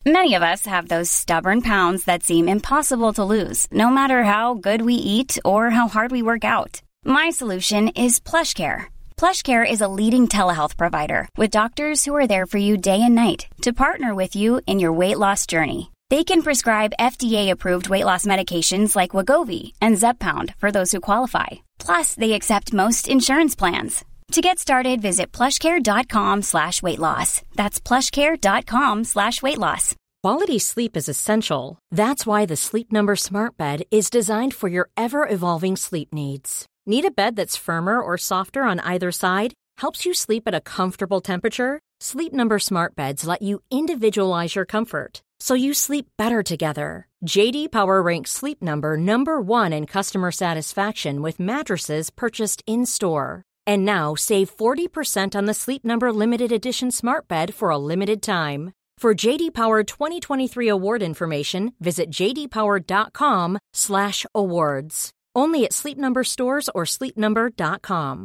Many of us have those stubborn pounds that seem impossible to lose, no matter how good we eat or how hard we work out. My solution is PlushCare. PlushCare is a leading telehealth provider with doctors who are there for you day and night to partner with you in your weight loss journey. They can prescribe FDA-approved weight loss medications like Wegovy and Zepbound for those who qualify. Plus, they accept most insurance plans. To get started, visit plushcare.com/weightloss. That's plushcare.com/weightloss. Quality sleep is essential. That's why the Sleep Number Smart Bed is designed for your ever-evolving sleep needs. Need a bed that's firmer or softer on either side? Helps you sleep at a comfortable temperature? Sleep Number Smart Beds let you individualize your comfort, so you sleep better together. J.D. Power ranks Sleep Number #1 in customer satisfaction with mattresses purchased in-store. And now, save 40% on the Sleep Number Limited Edition Smart Bed for a limited time. For J.D. Power 2023 award information, visit jdpower.com/awards. Only at Sleep Number stores or sleepnumber.com.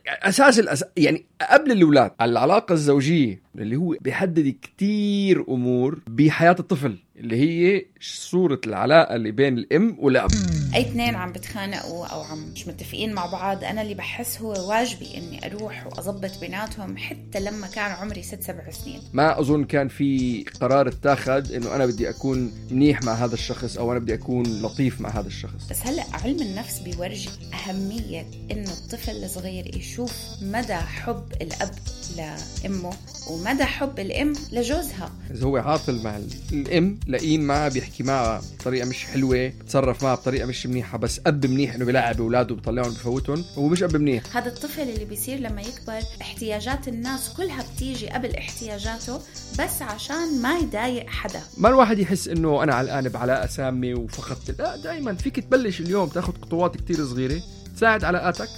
أساس يعني قبل الأولاد العلاقة الزوجية اللي هو بيحدد كتير أمور بحياة الطفل، اللي هي صورة العلاقة اللي بين الأم والأب. أي اثنين عم بتخانقوا أو عم مش متفقين مع بعض، أنا اللي بحس هو واجبي إني أروح وأضبط بيناتهم حتى لما كان عمري 6-7 سنين. ما أظن كان في قرار اتاخد إنه أنا بدي أكون منيح مع هذا الشخص أو أنا بدي أكون لطيف مع هذا الشخص. بس هلأ علم النفس بيورجي أهمية إنه الطفل الصغير يشوف مدى حب الأب لأمه ومدى حب الأم لجوزها. إذا هو عاطل مع الأم لئيم معها، بيحكي معها بطريقة مش حلوة، بتصرف معها بطريقة مش منيحة، بس أب منيح إنه بيلعب أولاده بيطلعهم بفوتهم، هو مش أب منيح. هذا الطفل اللي بيصير لما يكبر احتياجات الناس كلها بتيجي قبل احتياجاته بس عشان ما يضايق حدا. ما الواحد يحس إنه أنا علقان بعلاقة سامة وفقدت، لا، دائما فيك تبلش اليوم تاخد خطوات كتير صغيرة تساعد علاقاتك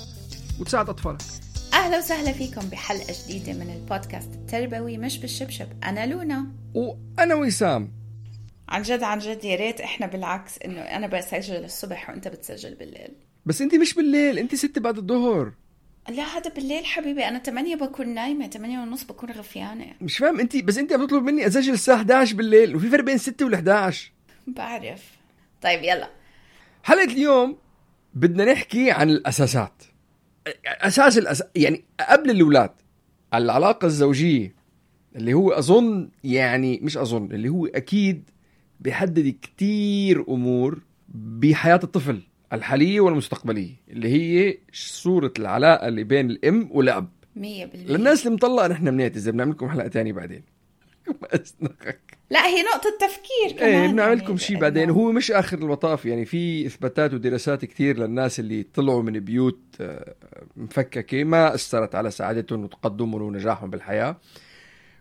وتساعد أطفالك. أهلا وسهلا فيكم بحلقة جديدة من البودكاست التربوي مش بالشبشب. أنا لونا وأنا وسام. عن جد يا ريت إحنا بالعكس، إنه أنا بسجل الصبح وأنت بتسجل بالليل. بس أنت مش بالليل، أنت 6 بعد الظهر. لا هذا بالليل حبيبي، أنا 8 بكون نايمة، 8:30 بكون غفيانة. مش فاهم أنت، بس أنت بتطلب مني أسجل الساعة 11 بالليل، وفي فرق بين 6 و11. بعرف. طيب يلا، حلقة اليوم بدنا نحكي عن الأساسات. يعني قبل الأولاد العلاقة الزوجية اللي هو اللي هو أكيد بيحدد كتير أمور بحياة الطفل الحالية والمستقبلية، اللي هي صورة العلاقة اللي بين الأم والأب. 100%. للناس اللي مطلقة نحن بنعتذر، بنعمل لكم حلقة تانية بعدين. لا هي نقطة تفكير كمان. ايه بنعمل لكم شيء بعدين. هو مش آخر المطاف، يعني في إثباتات ودراسات كتير للناس اللي طلعوا من بيوت مفككة ما أثرت على سعادتهم وتقدمهم ونجاحهم بالحياة،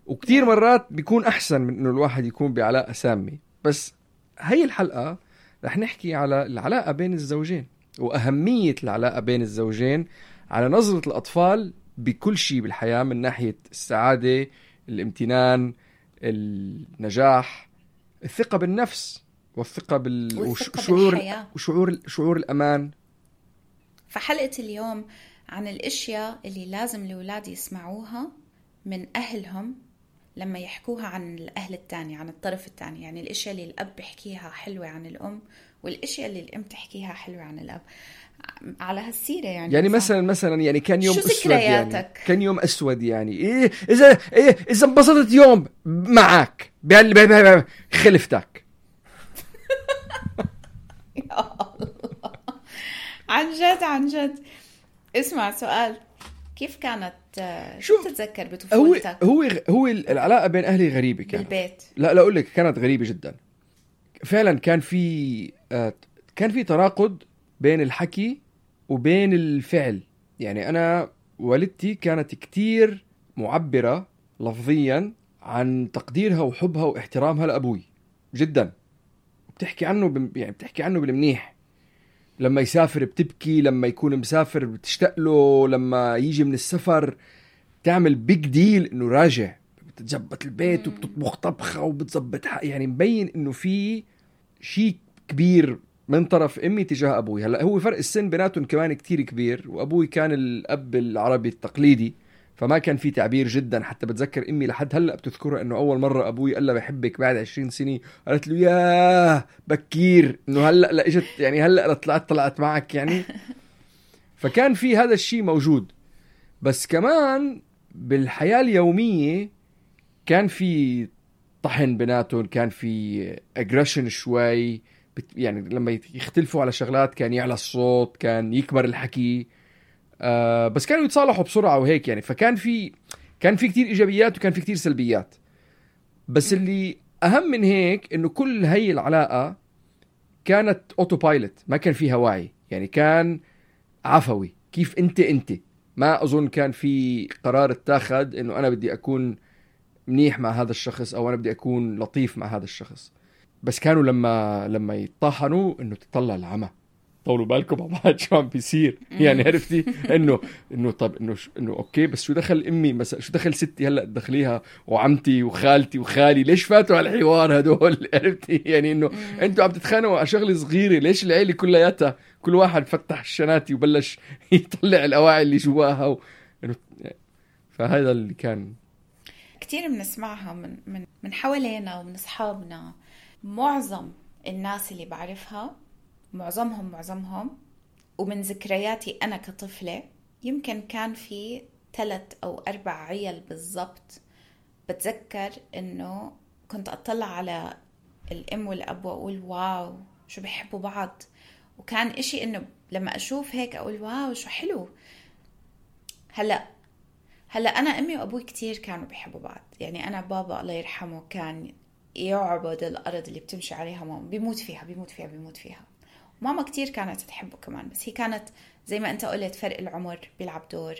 وكتير مرات بيكون أحسن من إنه الواحد يكون بعلاقة سامة. بس هاي الحلقة رح نحكي على العلاقة بين الزوجين وأهمية العلاقة بين الزوجين على نظرة الأطفال بكل شيء بالحياة، من ناحية السعادة، الامتنان، النجاح، الثقة بالنفس والثقة وشعور الأمان. فحلقة اليوم عن الأشياء اللي لازم الأولاد يسمعوها من أهلهم لما يحكوها عن الأهل التاني، عن الطرف التاني. يعني الأشياء اللي الأب بيحكيها حلوة عن الأم، والأشياء اللي الأم تحكيها حلوة عن الأب. على هالسيرة يعني مثلا يعني كان يوم أسود، يعني كان يوم أسود، يعني إذا انبسطت يوم معك خلفتك. يا الله، عن جد. اسمع سؤال، كيف كانت شو تتذكر بطفولتك؟ هو العلاقة بين أهلي غريبة كانت بالبيت. لا أقول لك كانت غريبة جدا فعلا. كان في تناقض بين الحكي وبين الفعل. يعني أنا والدتي كانت كتير معبرة لفظيا عن تقديرها وحبها واحترامها لأبوي جدا، بتحكي عنه بالمنيح. لما يسافر بتبكي، لما يكون مسافر بتشتاق له، لما يجي من السفر تعمل بيج ديل إنه راجع، بتتزبط البيت وبتطبخ طبخة وبتزبط يعني مبين إنه في شيء كبير من طرف أمي تجاه أبوي. هلأ هو فرق السن بيناتهم كمان كتير كبير، وأبوي كان الأب العربي التقليدي، فما كان في تعبير جدا. حتى بتذكر امي لحد هلا بتذكرها انه اول مره ابوي قال لها بحبك بعد 20 سنه، قالت له ياه بكير انه هلا لا اجت يعني هلا طلعت معك يعني. فكان في هذا الشيء موجود. بس كمان بالحياه اليوميه كان في طحن بيناتهم، كان في اجريشن شوي، يعني لما يختلفوا على شغلات كان يعلى الصوت، كان يكبر الحكي، بس كانوا يتصالحوا بسرعة وهيك يعني. فكان في كتير إيجابيات وكان في كتير سلبيات. بس اللي أهم من هيك إنه كل هاي العلاقة كانت أوتو بايلوت، ما كان فيها وعي يعني، كان عفوي. كيف أنت ما أظن كان في قرار اتاخد إنه أنا بدي أكون منيح مع هذا الشخص أو أنا بدي أكون لطيف مع هذا الشخص. بس كانوا لما يطحنوا إنه تطلع العمى، طولوا بالكم مع بعض شو عم بيصير يعني، عرفتي انه طب انه اوكي بس شو دخل امي مثلا، شو دخل ستي هلا تدخليها وعمتي وخالتي وخالي، ليش فاتوا على الحوار هدول؟ عرفتي يعني انه انتوا عم تتخانقوا على شغله صغيره، ليش العيله كلياتها كل واحد فتح الشناتي وبلش يطلع الاواعي اللي جواها فهذا اللي كان كتير بنسمعها من حوالينا ومن اصحابنا. معظم الناس اللي بعرفها معظمهم ومن ذكرياتي أنا كطفلة يمكن كان في 3 أو 4 عيال بالضبط. بتذكر إنه كنت أطلع على الأم والأب وأقول واو شو بيحبوا بعض، وكان إشي إنه لما أشوف هيك أقول واو شو حلو. هلأ أنا أمي وأبوي كتير كانوا بيحبوا بعض يعني. أنا بابا الله يرحمه كان يعبد الأرض اللي بتمشي عليها ماما، بيموت فيها. ماما كتير كانت تحبه كمان، بس هي كانت زي ما أنت قلت فرق العمر بيلعب دور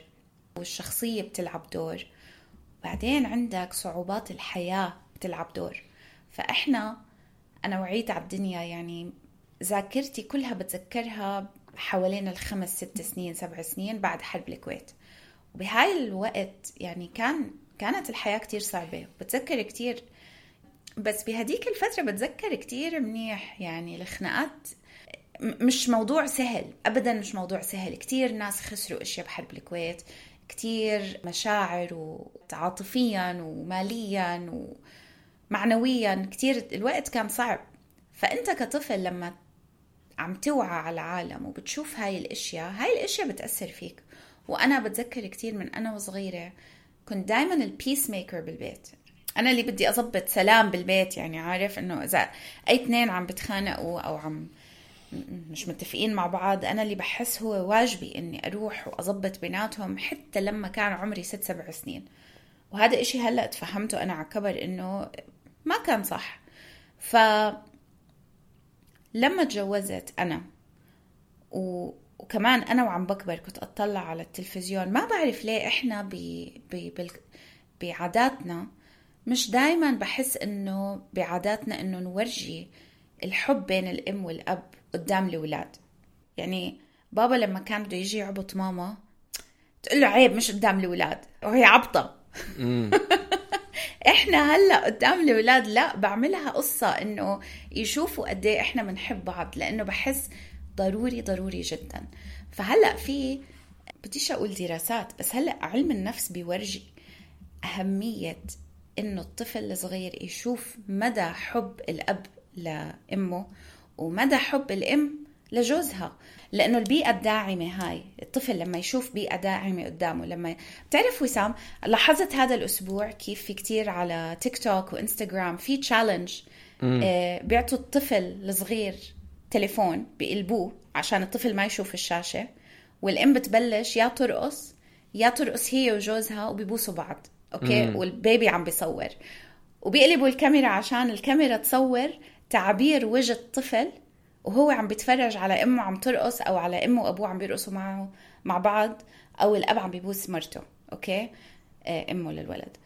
والشخصية بتلعب دور، بعدين عندك صعوبات الحياة بتلعب دور. أنا وعيت على الدنيا يعني ذاكرتي كلها بتذكرها حوالين 5 6 سنين 7 سنين بعد حرب الكويت. وبهاي الوقت يعني كانت الحياة كتير صعبة، بتذكر كتير. بس بهديك الفترة بتذكر كتير منيح يعني الخناقات مش موضوع سهل أبدا، مش موضوع سهل. كتير ناس خسروا أشياء بحرب الكويت، كتير مشاعر وعاطفيا وماليا ومعنويا، كتير الوقت كان صعب. فأنت كطفل لما عم توعى على العالم وبتشوف هاي الأشياء بتأثر فيك. وأنا بتذكر كتير من أنا وصغيرة كنت دايما البيس ميكر بالبيت، أنا اللي بدي أضبط سلام بالبيت يعني. عارف إنه إذا أي 2 عم بتخانقوا أو عم مش متفقين مع بعض، أنا اللي بحس هو واجبي إني أروح وأضبط بيناتهم حتى لما كان عمري 6-7 سنين. وهذا إشي هلأ تفهمته أنا عكبر إنه ما كان صح. فلما تجوزت أنا وكمان أنا وعم بكبر كنت أطلع على التلفزيون، ما بعرف ليه إحنا بعاداتنا مش دايما بحس إنه بعاداتنا إنه نورجي الحب بين الأم والأب قدام الأولاد. يعني بابا لما كان بده يجي يعبط ماما تقول له عيب مش قدام الأولاد، وهي عبطة. إحنا هلأ قدام الأولاد لا، بعملها قصة إنه يشوفوا قد إيه إحنا بنحب بعض، لأنه بحس ضروري جدا. فهلأ بديش أقول دراسات، بس هلأ علم النفس بيورجي أهمية إنه الطفل الصغير يشوف مدى حب الأب لأمه ومدى حب الأم لجوزها، لأنه البيئة الداعمة هاي الطفل لما يشوف بيئة داعمة قدامه. لما بتعرف وسام، لاحظت هذا الأسبوع كيف في كتير على تيك توك وإنستغرام في تشالنج بيعطوا الطفل الصغير تليفون بيقلبوه عشان الطفل ما يشوف الشاشة، والأم بتبلش يا ترقص هي وجوزها وبيبوسوا بعض أوكي، والبيبي عم بيصور وبيقلبوا الكاميرا عشان الكاميرا تصور تعبير وجه الطفل وهو عم بيتفرج على أمه عم ترقص، أو على أمه وأبوه عم بيرقصوا معه مع بعض، أو الأب عم بيبوس مرته أوكي أمه للولد.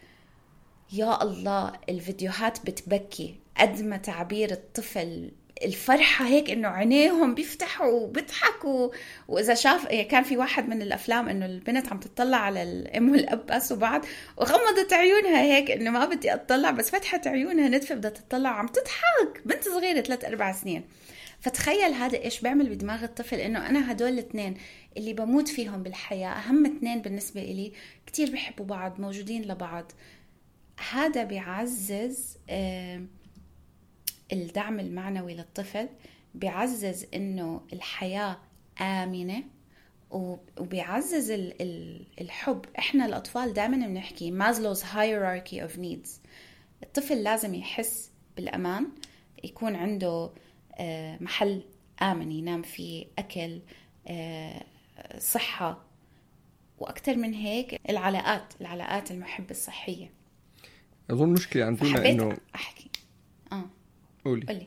يا الله الفيديوهات بتبكي قد ما تعبير الطفل الفرحة هيك إنه عينيهم بيفتحوا وبيضحكوا. وإذا شاف كان في واحد من الأفلام إنه البنت عم تطلع على الأم والأب باسوا بعض وغمضت عيونها هيك إنه ما بدي أطلع، بس فتحت عيونها ندفة بدها تطلع، عم تضحك، بنت صغيرة 3-4 سنين. فتخيل هذا إيش بيعمل بدماغ الطفل، إنه أنا هدول الاثنين اللي بموت فيهم بالحياة، أهم اثنين بالنسبة إلي، كتير بيحبوا بعض، موجودين لبعض. هذا بيعزز الدعم المعنوي للطفل، بيعزز إنه الحياة آمنة، وبيعزز الحب. إحنا الأطفال دائما بنحكي مازلو's hierarchy of needs. الطفل لازم يحس بالأمان، يكون عنده محل آمن ينام فيه، أكل، صحة، وأكثر من هيك العلاقات المحبة الصحية. أظن مشكلة عندنا إنه أحكي قولي.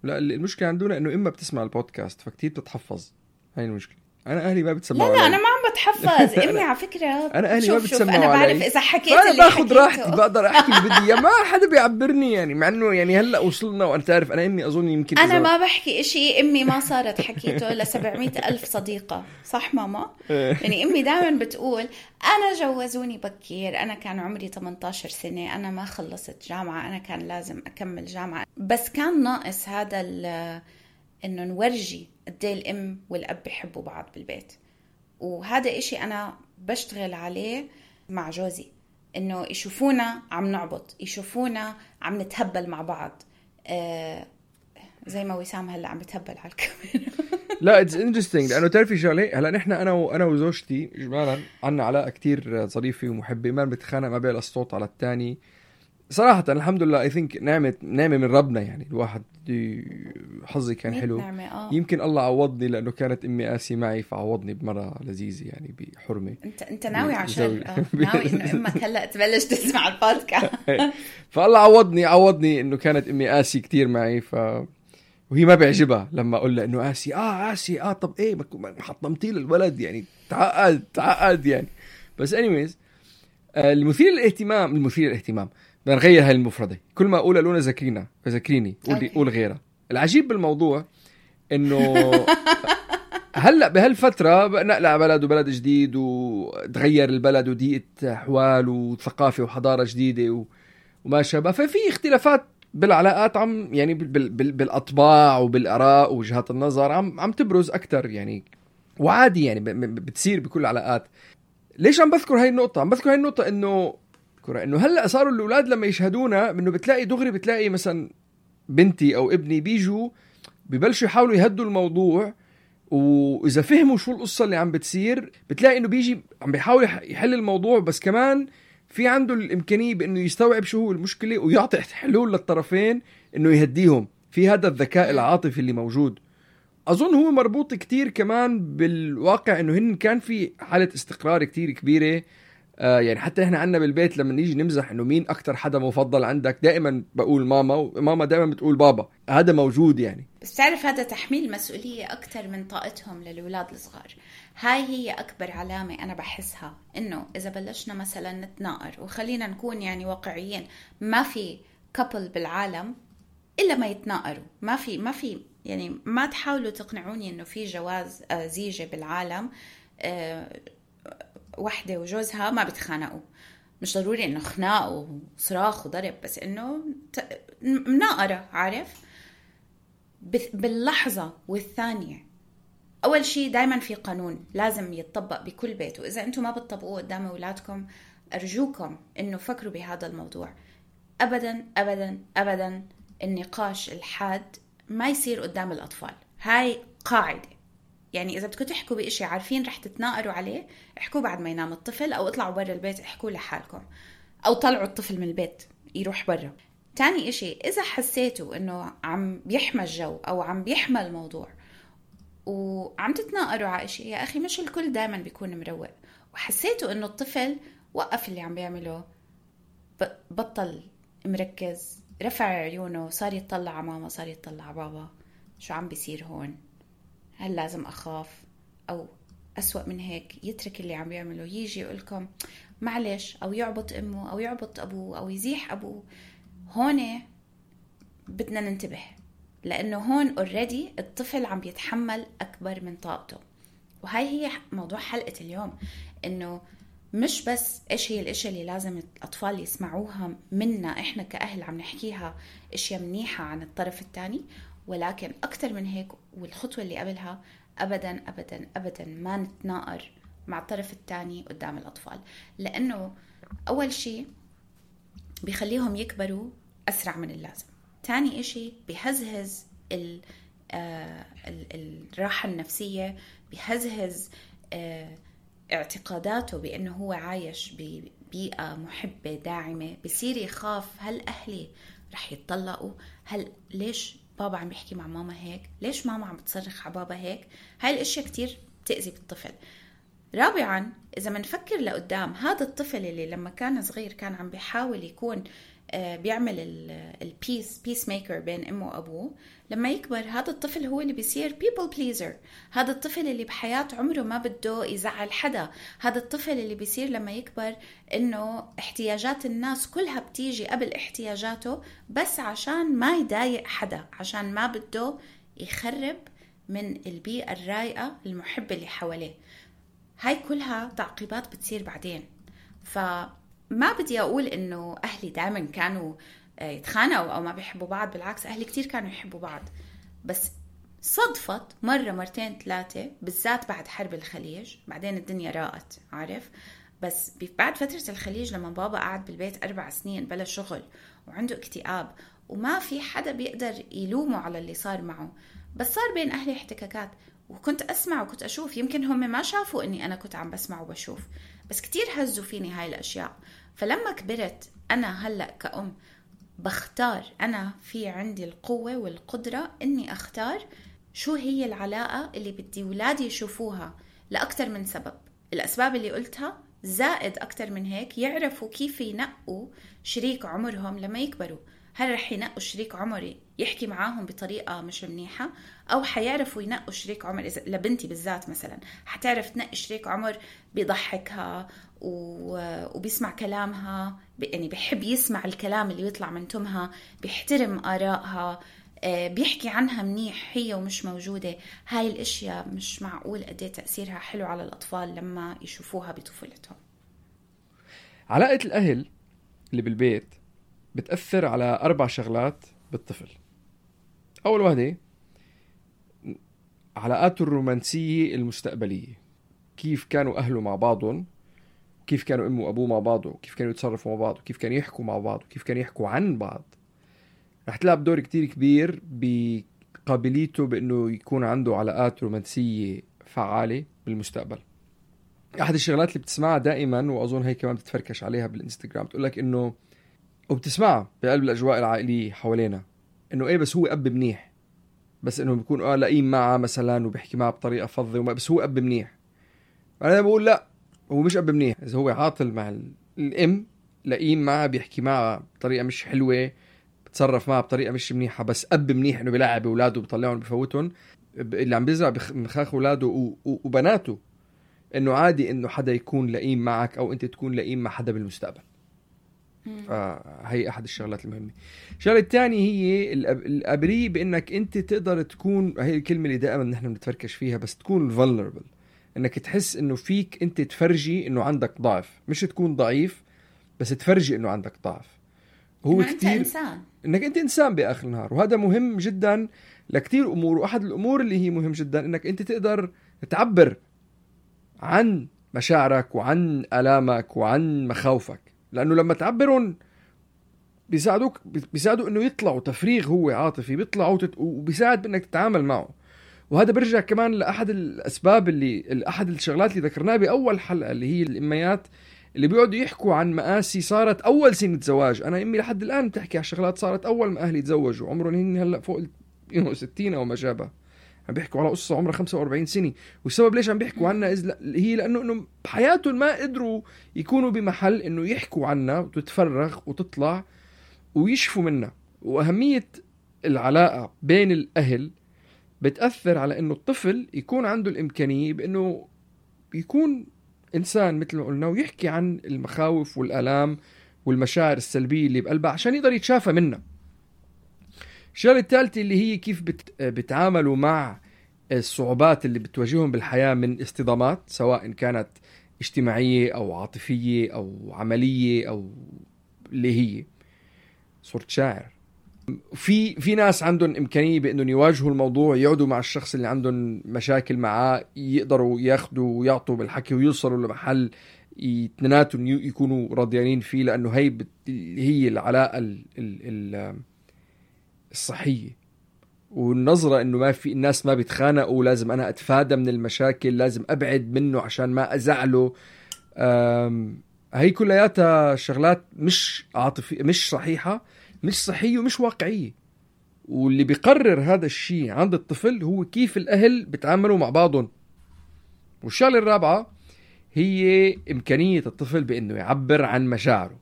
لا، المشكلة عندنا إنه إما بتسمع البودكاست فكتير بتتحفظ. هاي المشكلة. أنا أهلي ما بتسمعوا لا أنا ما عم بتحفظ. أمي على فكرة أنا أهلي ما بتسمعوا أنا علي. بعرف إذا حكيت أنا اللي باخد راحتي، حكيته بقدر أحكي اللي بدي. ما حدا بيعبرني يعني، مع إنه يعني هلأ وصلنا وأنت تعرف أنا أمي أظن يمكن أنا ما بحكي إشي أمي ما صارت حكيته ل700,000 صديقة. صح ماما؟ يعني أمي دائما بتقول أنا جوزوني بكير، أنا كان عمري 18 سنة، أنا ما خلصت جامعة، أنا كان لازم أكمل جامعة، بس كان ناقص هذا إنه نورجي قد ايه الأم والأب بيحبوا بعض بالبيت. وهذا إشي أنا بشتغل عليه مع جوزي، إنه يشوفونا عم نعبط، يشوفونا عم نتهبل مع بعض، زي ما وسام هلا عم بتهبل على الكاميرا. لا it's interesting، لأنه تعرفي شغلة، هلا نحن أنا وزوجتي إجمالا عنا علاقة كتير ظريفة ومحبة، ما بنتخانق، ما بيعلى الصوت على التاني صراحة. الحمد لله I think نعمة من ربنا يعني. الواحد حظي كان حلو. يمكن الله عوضني لأنه كانت أمي قاسي معي، فعوضني بمرة لذيذة يعني بحرمة. أنت ناوي عشان ناوي إنه أمك هلأ تبلش تسمع البودكاست. فالله عوضني إنه كانت أمي قاسي كتير معي، وهي ما بيعجبها لما أقول لها إنه قاسي طب إيه ما حطمتي للولد يعني، تعقد يعني. بس anyways المثير للاهتمام بدنا نغير هاي المفردة. كل ما أقول لونا ذكريني قول غيرها. العجيب بالموضوع إنه هلأ بهالفترة نقلع بلد جديد، وتغير البلد، وديقة أحوال وثقافة وحضارة جديدة وما شابه، ففي اختلافات بالعلاقات عم يعني بالأطباع وبالآراء ووجهات النظر عم تبرز أكتر يعني، وعادي يعني بتصير بكل العلاقات. ليش عم بذكر هاي النقطة؟ إنه هلأ صاروا الأولاد لما يشهدونا إنه بتلاقي مثلا بنتي أو ابني بيجوا ببلشوا يحاولوا يهدوا الموضوع، وإذا فهموا شو القصة اللي عم بتصير بتلاقي إنه بيجي عم بيحاول يحل الموضوع، بس كمان في عنده الإمكانية بإنه يستوعب شو هو المشكلة ويعطي حلول للطرفين إنه يهديهم. في هذا الذكاء العاطفي اللي موجود، أظن هو مربوط كتير كمان بالواقع إنه هن كان في حالة استقرار كتير كبيرة. يعني حتى إحنا عنا بالبيت لما نيجي نمزح إنه مين أكتر حدا مفضل عندك، دائما بقول ماما، وماما دائما بتقول بابا. هذا موجود يعني. بس تعرف هذا تحميل مسؤولية أكتر من طاقتهم للأولاد الصغار. هاي هي أكبر علامة أنا بحسها، إنه إذا بلشنا مثلا نتناقر، وخلينا نكون يعني واقعيين، ما في كابل بالعالم إلا ما يتناقروا. ما في يعني ما تحاولوا تقنعوني إنه في جواز زيجة بالعالم وحدة وجوزها ما بتخانقوا. مش ضروري إنه خناق وصراخ وضرب، بس إنه مناقرة، عارف، باللحظة والثانية. أول شيء دايما في قانون لازم يتطبق بكل بيت، وإذا أنتم ما بتطبقوه قدام أولادكم أرجوكم إنه فكروا بهذا الموضوع. أبدا أبدا أبدا النقاش الحاد ما يصير قدام الأطفال. هاي قاعدة يعني. إذا بدكم تحكوا بإشي عارفين رح تتناقروا عليه، احكوا بعد ما ينام الطفل، أو اطلعوا برا البيت احكوا لحالكم، أو طلعوا الطفل من البيت يروح برا. تاني إشي، إذا حسيتوا إنه عم بيحمى الجو أو عم بيحمى الموضوع وعم تتناقروا على إشي، يا أخي مش الكل دايما بيكون مروق، وحسيتوا إنه الطفل وقف اللي عم بيعمله، بطل مركز، رفع عيونه، صار يطلع على ماما، صار يطلع على بابا، شو عم بيصير هون؟ هل لازم أخاف؟ أو أسوأ من هيك، يترك اللي عم بيعمله، يجي يقولكم معلش، أو يعبط أمه، أو يعبط أبوه، أو يزيح أبوه. هون بدنا ننتبه، لأنه هون already الطفل عم بيتحمل أكبر من طاقته. وهاي هي موضوع حلقة اليوم، إنه مش بس إيش هي الأشياء اللي لازم الأطفال يسمعوها منا إحنا كأهل عم نحكيها، أشياء منيحة عن الطرف الثاني، ولكن أكتر من هيك والخطوة اللي قبلها أبدا أبدا أبدا ما نتناقر مع الطرف الثاني قدام الأطفال، لأنه أول شيء بيخليهم يكبروا أسرع من اللازم. تاني إشي بيهزهز الراحة النفسية، بيهزهز اعتقاداته بأنه هو عايش ببيئة محبة داعمة. بيصير يخاف، هل أهلي رح يتطلقوا؟ ليش بابا عم بيحكي مع ماما هيك؟ ليش ماما عم بتصرخ على بابا هيك؟ هاي الاشياء كتير بتأذي بالطفل. رابعا، إذا منفكر لقدام، هذا الطفل اللي لما كان صغير كان عم بيحاول يكون بيعمل البيس ميكر بين أمه وأبوه، لما يكبر هذا الطفل هو اللي بيصير people pleaser. هذا الطفل اللي بحياة عمره ما بده يزعل حدا. هذا الطفل اللي بيصير لما يكبر إنه احتياجات الناس كلها بتيجي قبل احتياجاته، بس عشان ما يضايق حدا، عشان ما بده يخرب من البيئة الرايقة المحبة اللي حواليه. هاي كلها تعقيبات بتصير بعدين. فما بدي أقول إنه أهلي دائما كانوا يتخانقوا أو ما بيحبوا بعض، بالعكس أهلي كتير كانوا يحبوا بعض، بس صدفت مرة مرتين ثلاثة، بالذات بعد حرب الخليج. بعدين الدنيا راقت، عارف. بس بعد فترة الخليج لما بابا قعد بالبيت 4 سنين بلا شغل وعنده اكتئاب وما في حدا بيقدر يلومه على اللي صار معه، بس صار بين أهلي احتكاكات. وكنت أسمع وكنت أشوف، يمكن هم ما شافوا أني أنا كنت عم بسمع وبشوف، بس كتير هزوا فيني هاي الأشياء. فلما كبرت أنا هلأ كأم بختار، أنا في عندي القوة والقدرة أني أختار شو هي العلاقة اللي بدي ولادي يشوفوها، لأكتر من سبب. الأسباب اللي قلتها زائد أكتر من هيك، يعرفوا كيف ينقوا شريك عمرهم لما يكبروا. هل رح ينقوا شريك عمري يحكي معاهم بطريقة مش منيحة، أو حيعرفوا ينقوا شريك عمر؟ إذا لبنتي بالذات مثلا حتعرف تنقي شريك عمر بيضحكها وبيسمع كلامها، يعني بيحب يسمع الكلام اللي يطلع من تمها، بيحترم آرائها، بيحكي عنها منيح هي ومش موجودة. هاي الاشياء مش معقول قد ايه تأثيرها حلو على الأطفال لما يشوفوها بطفولتهم. علاقة الأهل اللي بالبيت بتأثر على 4 شغلات بالطفل. أول واحدة علاقاته الرومانسية المستقبلية، كيف كانوا أهله مع بعضهم، كيف كانوا أمه وأبوه مع بعض، وكيف كانوا يتصرفوا مع بعض، وكيف كانوا يحكوا مع بعض، وكيف كانوا يحكوا عن بعض. رح تلعب دور كتير كبير بقابليته بأنه يكون عنده علاقات رومانسية فعالة بالمستقبل. أحد الشغلات اللي بتسمعها دائما، وأظن هي كمان بتتفركش عليها بالإنستغرام، تقولك إنه وبتسمعها بقلب الأجواء العائلية حوالينا، إنه إيه بس هو أب منيح، بس إنه بيكون لئيم معه مثلا وبيحكي معه بطريقة فظة، بس هو أب منيح. أنا بقول لا، هو مش أب منيح. إذا هو عاطل مع الأم، لئيم معه، بيحكي معه بطريقة مش حلوة، بتصرف معه بطريقة مش منيحة، بس أب منيح إنه بيلعب أولاده وبيطلعهم وبيفوتهم، اللي عم بيزرع بمخاخ أولاده وبناته إنه عادي إنه حدا يكون لئيم معك أو أنت تكون لئيم مع حدا بالمستقبل. فهي أحد الشغلات المهمة. الشغلة الثانية هي الأبري، بأنك أنت تقدر تكون، هي الكلمة اللي دائما نحن بنتفركش فيها، بس تكون vulnerable، أنك تحس أنه فيك أنت تفرجي أنه عندك ضعف، مش تكون ضعيف بس تفرجي أنه عندك ضعف. هو كتير إنسان. أنك أنت إنسان بآخر النهار، وهذا مهم جدا لكتير أمور. وأحد الأمور اللي هي مهم جدا أنك أنت تقدر تعبر عن مشاعرك وعن آلامك وعن مخاوفك، لأنه لما تعبرون بيساعدوا إنه يطلعوا تفريغ هو عاطفي، بيطلعوا وبيساعد بإنك تتعامل معه. وهذا برجع كمان لأحد الأسباب أحد الشغلات اللي ذكرناها بأول حلقة، اللي هي الأميات اللي بيقعدوا يحكوا عن مآسي صارت أول سنة زواج. أنا أمي لحد الآن بتحكي عن شغلات صارت أول ما أهلي تزوجوا، عمرهم هن هلأ فوق 60 أو ما شابه، عم بيحكوا على قصة عمرها 45 سنة. والسبب ليش عم بيحكوا عنها هي لأنه بحياتهم ما قدروا يكونوا بمحل إنه يحكوا عنها وتتفرغ وتطلع ويشفوا منها. وأهمية العلاقة بين الأهل بتأثر على إنه الطفل يكون عنده الإمكانية بإنه يكون إنسان مثل ما قلنا، ويحكي عن المخاوف والآلام والمشاعر السلبية اللي بقلبه عشان يقدر يتشافى منها. الشغلة الثالثة اللي هي كيف بتعاملوا مع الصعوبات اللي بتواجههم بالحياة من اصطدامات، سواء كانت اجتماعية أو عاطفية أو عملية، أو اللي هي صرت شاعر في ناس عندهم إمكانية بأنهم يواجهوا الموضوع، يقعدوا مع الشخص اللي عندهم مشاكل معاه، يقدروا ياخدوا ويعطوا بالحكي ويوصلوا لمحل اثنيناتهم يكونوا راضيانين فيه، لأنه هي العلاقة الصحية. والنظرة إنه ما في الناس ما بيتخانقوا، لازم أنا أتفادى من المشاكل، لازم أبعد منه عشان ما أزعله، هي كلياتها شغلات مش عاطفية، مش صحيحة، مش صحية ومش واقعية. واللي بيقرر هذا الشيء عند الطفل هو كيف الأهل بيتعاملوا مع بعضهم. والشغلة الرابعة هي إمكانية الطفل بأنه يعبر عن مشاعره،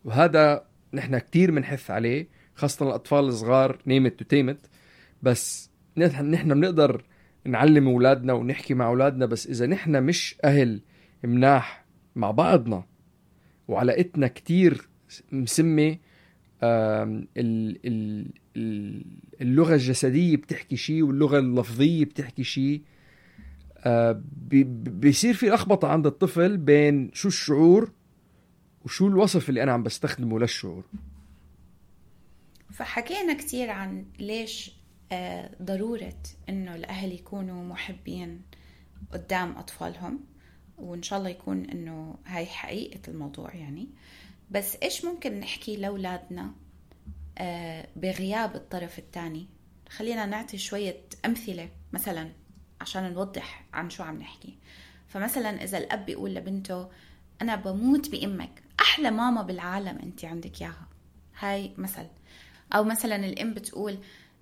وهذا نحن كتير منحث عليه، خاصة الأطفال الصغار، نيمت وتيمت. بس نحن بنقدر نعلم أولادنا ونحكي مع أولادنا، بس إذا نحن مش أهل مناح مع بعضنا وعلاقتنا كتير مسمة، اللغة الجسدية بتحكي شيء واللغة اللفظية بتحكي شيء، بيصير في لخبطة عند الطفل بين شو الشعور وشو الوصف اللي أنا عم بستخدمه للشعور. فحكينا كتير عن ليش ضرورة إنه الأهل يكونوا محبين قدام أطفالهم، وإن شاء الله يكون إنه هاي حقيقة الموضوع يعني. بس إيش ممكن نحكي لأولادنا بغياب الطرف الثاني؟ خلينا نعطي شوية أمثلة مثلا عشان نوضح عن شو عم نحكي. فمثلا إذا الأب يقول لبنته أنا بموت بأمك، أحلى ماما بالعالم أنت عندك ياها، هاي مثل. أو مثلا الأم بتقول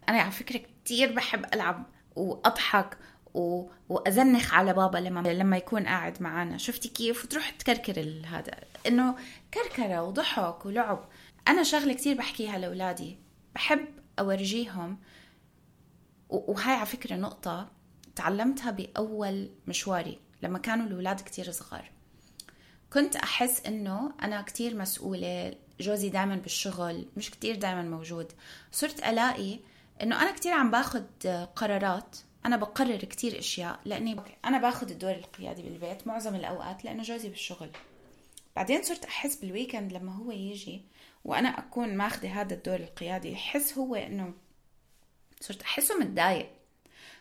أنا على فكرة كتير بحب ألعب وأضحك وأزنخ على بابا لما يكون قاعد معنا، شفتي كيف؟ وتروح تكركر هذا، إنه كركرة وضحك ولعب. أنا شغلة كتير بحكيها لأولادي، بحب أورجيهم، وهاي على فكرة نقطة تعلمتها بأول مشواري لما كانوا الأولاد كتير صغار. كنت أحس إنه أنا كتير مسؤولة، جوزي دائما بالشغل، مش كتير دائما موجود. صرت ألاقي إنه أنا كتير عم باخد قرارات، أنا بقرر كتير أشياء لأني أنا باخد الدور القيادي بالبيت معظم الأوقات لأنه جوزي بالشغل. بعدين صرت أحس بالويكند لما هو يجي وأنا أكون ماخدة هذا الدور القيادي، يحس هو إنه صرت أحسه متضايق.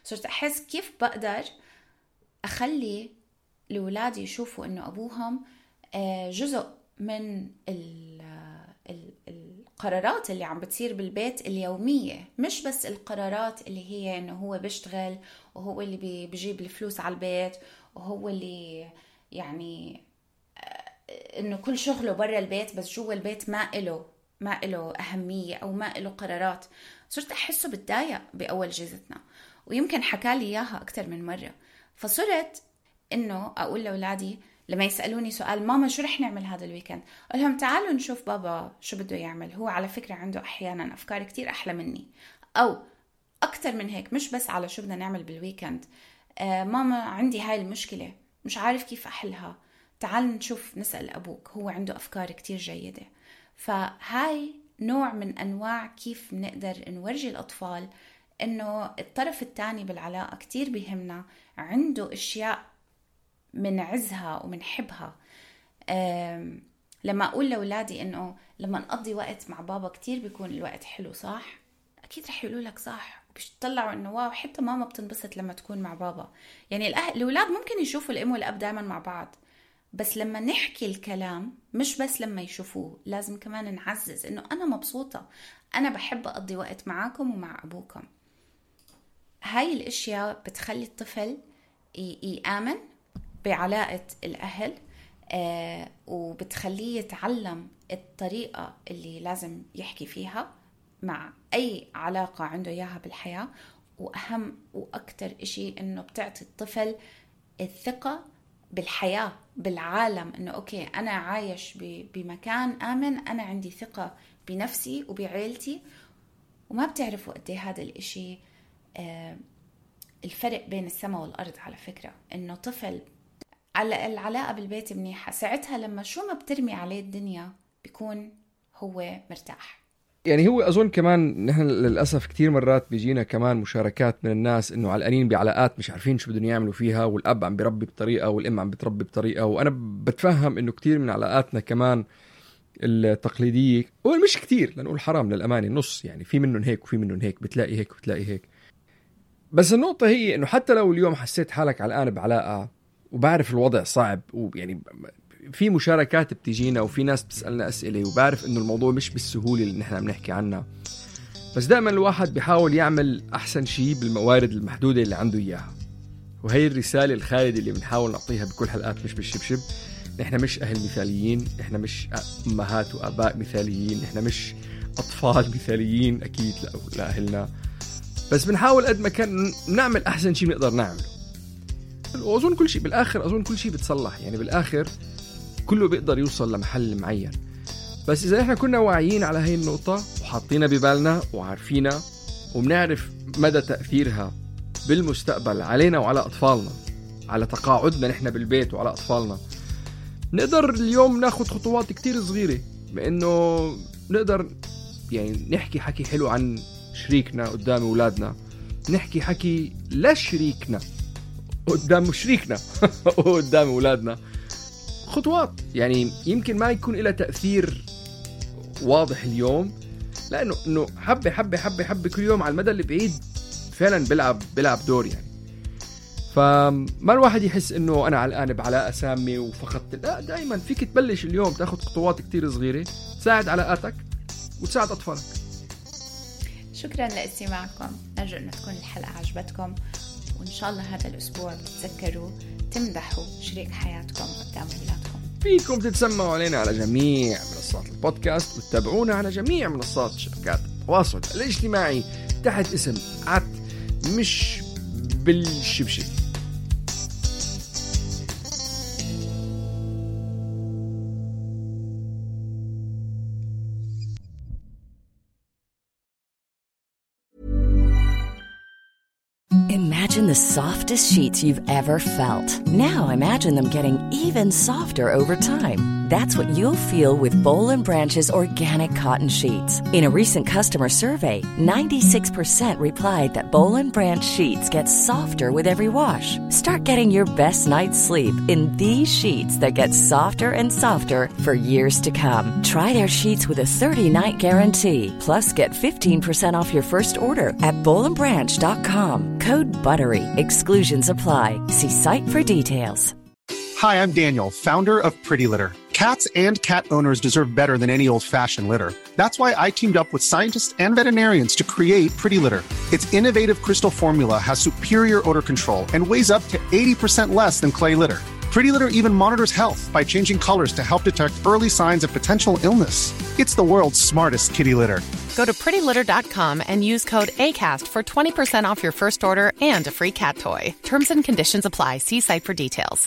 صرت أحس كيف بقدر أخلي لأولادي يشوفوا إنه أبوهم جزء من القرارات اللي عم بتصير بالبيت اليومية، مش بس القرارات اللي هي إنه هو بيشتغل وهو اللي بيجيب الفلوس على البيت وهو اللي يعني إنه كل شغله برا البيت، بس جوا البيت ما إله أهمية أو ما إله قرارات. صرت أحسه بتضايق بأول جيزتنا، ويمكن حكالي إياها أكتر من مرة. فصرت إنه أقول لأولادي لما يسألوني سؤال ماما شو رح نعمل هذا الويكند، أقول لهم تعالوا نشوف بابا شو بده يعمل، هو على فكرة عنده أحيانا أفكار كتير أحلى مني، أو أكتر من هيك، مش بس على شو بدنا نعمل بالويكند. ماما عندي هاي المشكلة مش عارف كيف أحلها، تعال نشوف نسأل أبوك، هو عنده أفكار كتير جيدة. فهاي نوع من أنواع كيف نقدر نورجي الأطفال إنه الطرف الثاني بالعلاقة كتير بيهمنا، عنده أشياء منعزها ومنحبها. لما أقول لأولادي إنه لما نقضي وقت مع بابا كتير بيكون الوقت حلو، صح؟ أكيد رح يقولوا لك صح، بيطلعوا إنه واو حتى ماما بتنبسط لما تكون مع بابا. يعني الأولاد ممكن يشوفوا الأم والأب دائما مع بعض، بس لما نحكي الكلام مش بس لما يشوفوه، لازم كمان نعزز إنه أنا مبسوطة، أنا بحب أقضي وقت معاكم ومع أبوكم. هاي الأشياء بتخلي الطفل يآمن بعلاقة الأهل، وبتخليه يتعلم الطريقة اللي لازم يحكي فيها مع أي علاقة عنده إياها بالحياة. وأهم وأكتر إشي إنه بتعطي الطفل الثقة بالحياة بالعالم، إنه أوكي أنا عايش بمكان آمن، أنا عندي ثقة بنفسي وبعائلتي. وما بتعرفوا قد ايه هذا الإشي الفرق بين السماء والأرض على فكرة، إنه طفل على العلاقة بالبيت منيحة، ساعتها لما شو ما بترمي عليه الدنيا بيكون هو مرتاح. يعني هو أظن كمان نحن للأسف كتير مرات بيجينا كمان مشاركات من الناس إنه علقانين بعلاقات مش عارفين شو بدهم يعملوا فيها، والأب عم بيربي بطريقة والأم عم بتربي بطريقة. وأنا بتفهم إنه كتير من علاقاتنا كمان التقليدية، ومش كتير لنقول حرام للأمانة، نص يعني، في منهم هيك وفي منهم هيك، بتلاقي هيك وبتلاقي هيك. بس النقطة هي إنه حتى لو اليوم حسيت حالك علقان بعلاقة وبعرف الوضع صعب، ويعني في مشاركات بتجينا وفي ناس بتسألنا أسئلة، وبعرف إنه الموضوع مش بالسهولة اللي نحن بنحكي عنها، بس دائما الواحد بيحاول يعمل أحسن شيء بالموارد المحدودة اللي عنده إياها. وهي الرسالة الخالدة اللي بنحاول نعطيها بكل حلقات مش بالشبشب. نحن مش أهل مثاليين، نحن مش أمهات وآباء مثاليين، نحن مش أطفال مثاليين أكيد لأهلنا، بس بنحاول قد ما كان نعمل أحسن شيء بنقدر نعمله. وأظن كل شيء بالآخر، أظن كل شيء بتصلح، يعني بالآخر كله بيقدر يوصل لمحل معين. بس إذا إحنا كنا واعيين على هاي النقطة وحاطينها ببالنا وعارفينها وبنعرف مدى تأثيرها بالمستقبل علينا وعلى أطفالنا، على تقاعدنا نحن بالبيت وعلى أطفالنا، نقدر اليوم ناخد خطوات كتير صغيرة بأنه نقدر يعني نحكي حكي حلو عن شريكنا قدام أولادنا، نحكي حكي لشريكنا قدام شريكنا وقدام أولادنا. خطوات يعني يمكن ما يكون لها تأثير واضح اليوم، لأنه حبة حبة حبة حبة كل يوم على المدى اللي بعيد فعلا بلعب دور يعني. فما الواحد يحس إنه أنا علقان بعلاقة سامة وفقدت، لا، دائما فيك تبلش اليوم تاخد خطوات كتير صغيرة تساعد علاقاتك وتساعد أطفالك. شكرا لاستماعكم، نرجو أن تكون الحلقة عجبتكم، وإن شاء الله هذا الأسبوع تتذكروا تمدحوا شريك حياتكم قدام أولادكم. فيكم تتسمعوا علينا على جميع منصات البودكاست، وتتابعونا على جميع منصات شبكات التواصل الاجتماعي تحت اسم مش بالشبشب. Imagine the softest sheets you've ever felt. Now imagine them getting even softer over time. That's what you'll feel with Boll & Branch's organic cotton sheets. In a recent customer survey, 96% replied that Boll & Branch sheets get softer with every wash. Start getting your best night's sleep in these sheets that get softer and softer for years to come. Try their sheets with a 30-night guarantee. Plus, get 15% off your first order at bollandbranch.com. Code BUTTERY. Exclusions apply. See site for details. Hi, I'm Daniel, founder of Pretty Litter. Cats and cat owners deserve better than any old-fashioned litter. That's why I teamed up with scientists and veterinarians to create Pretty Litter. Its innovative crystal formula has superior odor control and weighs up to 80% less than clay litter. Pretty Litter even monitors health by changing colors to help detect early signs of potential illness. It's the world's smartest kitty litter. Go to prettylitter.com and use code ACAST for 20% off your first order and a free cat toy. Terms and conditions apply. See site for details.